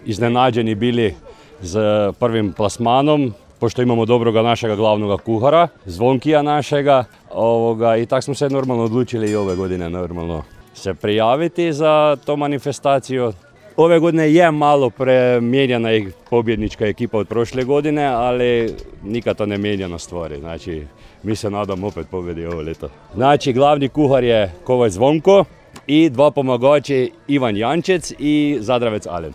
iznenađeni bili z prvim plasmanom, pošto imamo dobroga našega glavnoga kuhara, Zvonkija našega. I tako smo se normalno odlučili i ove godine normalno se prijaviti za to manifestaciju. Ove godine je malo premijenjena pobjednička ekipa od prošle godine, ali nikad to ne mijenja na stvari. Znači, mi se nadamo opet pobjedi ovo ljeto. Znači, glavni kuhar je Kovač Zvonko i dva pomagači Ivan Jančec i Zadravec Alen.